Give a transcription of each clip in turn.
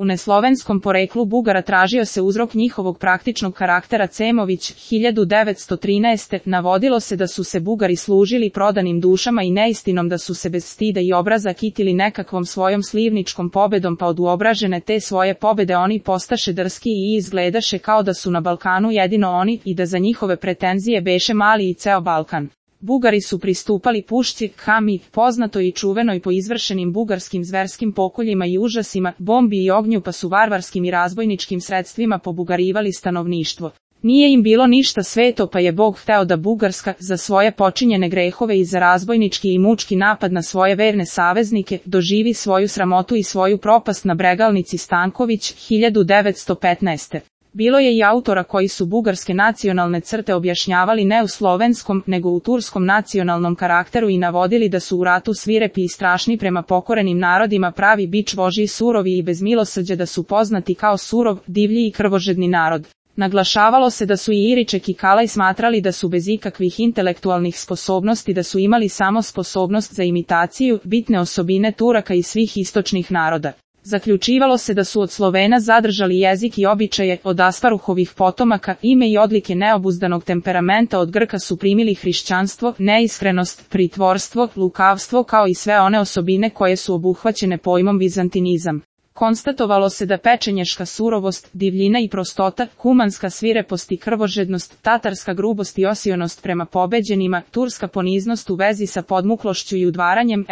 U neslovenskom poreklu Bugara tražio se uzrok njihovog praktičnog karaktera. Cemović, 1913. Navodilo se da su se Bugari služili prodanim dušama i neistinom, da su se bez stida i obraza kitili nekakvom svojom slivničkom pobedom, pa od uobražene te svoje pobede oni postaše drski i izgledaše kao da su na Balkanu jedino oni i da za njihove pretenzije beše mali i ceo Balkan. Bugari su pristupali pušci Hami, poznatoj i čuvenoj po izvršenim bugarskim zverskim pokoljima i užasima, bombi i ognju, pa su varvarskim i razbojničkim sredstvima pobugarivali stanovništvo. Nije im bilo ništa sveto, pa je Bog hteo da Bugarska, za svoje počinjene grehove i za razbojnički i mučki napad na svoje verne saveznike, doživi svoju sramotu i svoju propast na Bregalnici. Stanković, 1915. Bilo je i autora koji su bugarske nacionalne crte objašnjavali ne u slovenskom, nego u turskom nacionalnom karakteru i navodili da su u ratu svirepi i strašni prema pokorenim narodima, pravi bič vožji, surovi i bez milosrđa, da su poznati kao surov, divlji i krvožedni narod. Naglašavalo se da su i Iriček i Kalaj smatrali da su bez ikakvih intelektualnih sposobnosti, da su imali samo sposobnost za imitaciju, bitne osobine Turaka i svih istočnih naroda. Zaključivalo se da su od Slovena zadržali jezik i običaje, od Asparuhovih potomaka ime i odlike neobuzdanog temperamenta, od Grka su primili hrišćanstvo, neiskrenost, pritvorstvo, lukavstvo, kao i sve one osobine koje su obuhvaćene pojmom vizantinizam. Konstatovalo se da pečenješka surovost, divljina i prostota, kumanska svirepost i krvožednost, tatarska grubost i osionost prema pobeđenima, turska poniznost u vezi sa podmuklošću i udvaranjem,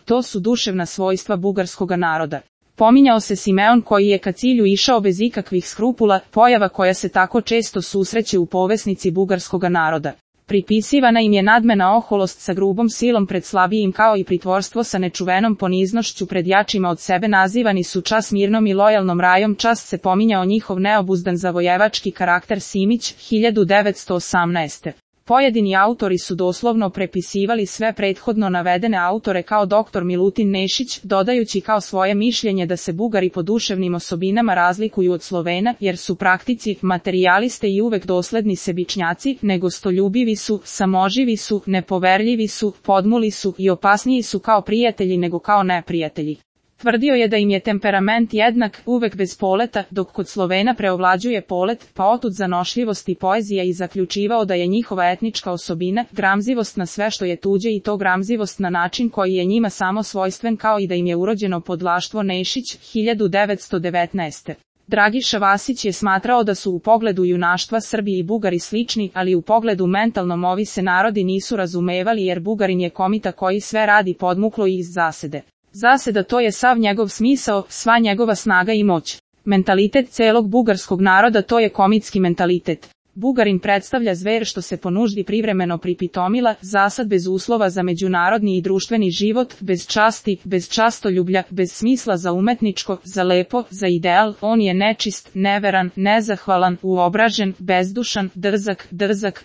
to su duševna svojstva bugarskoga naroda. Pominjao se Simeon koji je ka cilju išao bez ikakvih skrupula, pojava koja se tako često susreće u povesnici bugarskoga naroda. Pripisivana im je nadmena oholost sa grubom silom pred slabijim, kao i pritvorstvo sa nečuvenom poniznošću pred jačima od sebe. Nazivani su čas mirnom i lojalnom rajom. Čast se pominjao njihov neobuzdan zavojevački karakter. Simić, 1918. Pojedini autori su doslovno prepisivali sve prethodno navedene autore kao dr. Milutin Nešić, dodajući kao svoje mišljenje da se Bugari po duševnim osobinama razlikuju od Slovena, jer su praktici, materijaliste i uvek dosledni sebičnjaci, nego stoljubivi su, samoživi su, nepoverljivi su, podmuli su i opasniji su kao prijatelji nego kao neprijatelji. Tvrdio je da im je temperament jednak, uvek bez poleta, dok kod Slovena preovlađuje polet, pa otud zanošljivost i poezija, i zaključivao da je njihova etnička osobina gramzivost na sve što je tuđe, i to gramzivost na način koji je njima samo svojstven, kao i da im je urođeno podlaštvo. Nešić, 1919. Dragiša Vasić je smatrao da su u pogledu junaštva Srbi i Bugari slični, ali u pogledu mentalnom ovi se narodi nisu razumevali, jer Bugarin je komita koji sve radi podmuklo i iz zasede. Zaseda, to je sav njegov smisao, sva njegova snaga i moć. Mentalitet celog bugarskog naroda, to je komitski mentalitet. Bugarin predstavlja zver što se po nuždi privremeno pripitomila, zasad bez uslova za međunarodni i društveni život, bez časti, bez častoljublja, bez smisla za umetničko, za lepo, za ideal. On je nečist, neveran, nezahvalan, uobražen, bezdušan,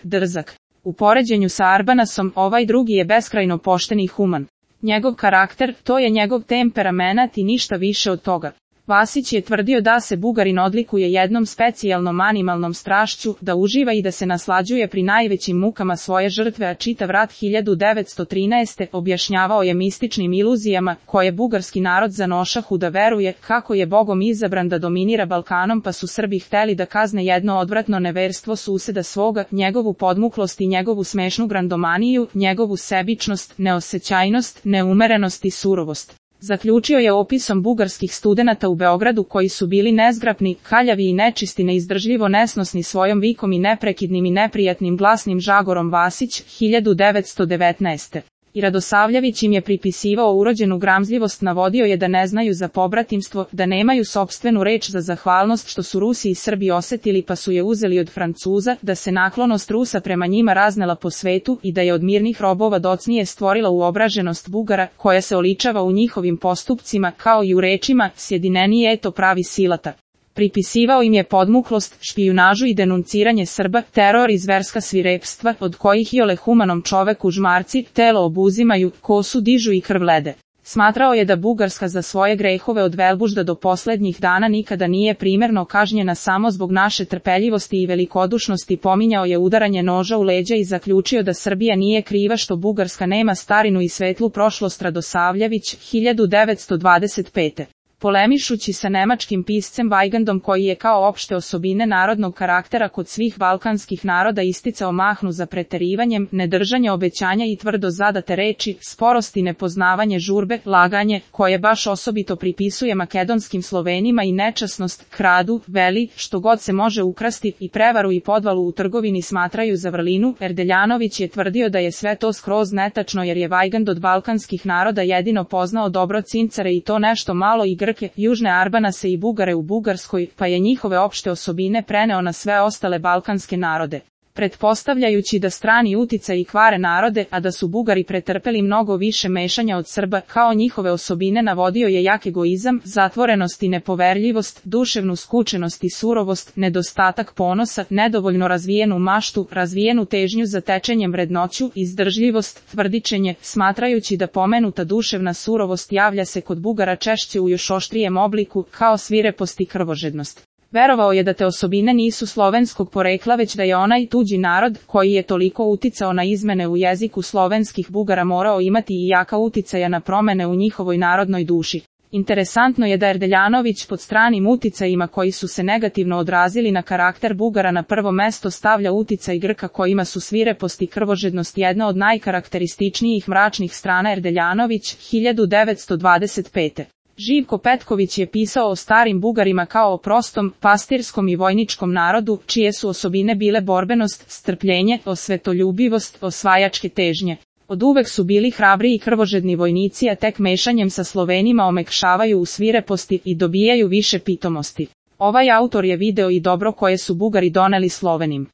drzak. U poređenju sa Arbanasom, ovaj drugi je beskrajno pošten i human. Njegov karakter, to je njegov temperamenat i ništa više od toga. Vasić je tvrdio da se Bugarin odlikuje jednom specijalnom animalnom strašću, da uživa i da se naslađuje pri najvećim mukama svoje žrtve, a čitav rat 1913. objašnjavao je mističnim iluzijama, koje bugarski narod zanošahu da veruje, kako je Bogom izabran da dominira Balkanom, pa su Srbi hteli da kazne jedno odvratno neverstvo suseda svoga, njegovu podmuklost i njegovu smešnu grandomaniju, njegovu sebičnost, neosećajnost, neumerenost i surovost. Zaključio je opisom bugarskih studenata u Beogradu koji su bili nezgrapni, kaljavi i nečisti, neizdržljivo nesnosni svojom vikom i neprekidnim i neprijatnim glasnim žagorom. Vasić, 1919. I Radosavljević im je pripisivao urođenu gramzljivost, navodio je da ne znaju za pobratimstvo, da nemaju sopstvenu reč za zahvalnost što su Rusi i Srbi osetili pa su je uzeli od Francuza, da se naklonost Rusa prema njima raznela po svetu i da je od mirnih robova docnije stvorila uobraženost Bugara, koja se oličava u njihovim postupcima, kao i u rečima, sjedineni eto pravi silata. Pripisivao im je podmuklost, špijunažu i denunciranje Srba, teror i zverska svirepstva, od kojih iole humanom čoveku žmarci telo obuzimaju, kosu dižu i krv lede. Smatrao je da Bugarska za svoje grehove od Velbužda do poslednjih dana nikada nije primerno kažnjena samo zbog naše trpeljivosti i velikodušnosti. Pominjao je udaranje noža u leđa i zaključio da Srbija nije kriva što Bugarska nema starinu i svetlu prošlost. Radosavljević, 1925. Polemišući sa nemačkim piscem Weigandom koji je kao opšte osobine narodnog karaktera kod svih balkanskih naroda isticao mahnu za preterivanjem, nedržanje obećanja i tvrdo zadate reči, sporost i nepoznavanje žurbe, laganje, koje baš osobito pripisuje makedonskim Slovenima i nečasnost, kradu, veli, što god se može ukrasti i prevaru i podvalu u trgovini smatraju za vrlinu. Erdeljanović je tvrdio da je sve to skroz netačno jer je Weigand od balkanskih naroda jedino poznao dobro Cincare i to nešto malo i Grke, Južne Arbanase i Bugare u Bugarskoj, pa je njihove opšte osobine preneo na sve ostale balkanske narode. Pretpostavljajući da strani uticaji kvare narode, a da su Bugari pretrpeli mnogo više mešanja od Srba, kao njihove osobine navodio je jak egoizam, zatvorenost i nepoverljivost, duševnu skučenost i surovost, nedostatak ponosa, nedovoljno razvijenu maštu, razvijenu težnju za tečenjem vrednoću, izdržljivost, tvrdičenje, smatrajući da pomenuta duševna surovost javlja se kod Bugara češće u još oštrijem obliku, kao svirepost i krvožednost. Verovao je da te osobine nisu slovenskog porekla već da je onaj tuđi narod, koji je toliko uticao na izmene u jeziku slovenskih Bugara morao imati i jaka uticaja na promene u njihovoj narodnoj duši. Interesantno je da Erdeljanović pod stranim uticajima koji su se negativno odrazili na karakter Bugara na prvo mesto stavlja uticaj Grka kojima su svirepost i krvožednost jedna od najkarakterističnijih mračnih strana. Erdeljanović, 1925. Živko Petković je pisao o starim Bugarima kao o prostom, pastirskom i vojničkom narodu, čije su osobine bile borbenost, strpljenje, osvetoljubivost, osvajačke težnje. Od uvek su bili hrabri i krvožedni vojnici, a tek mešanjem sa Slovenima omekšavaju u svireposti i dobijaju više pitomosti. Ovaj autor je video i dobro koje su Bugari doneli Slovenim.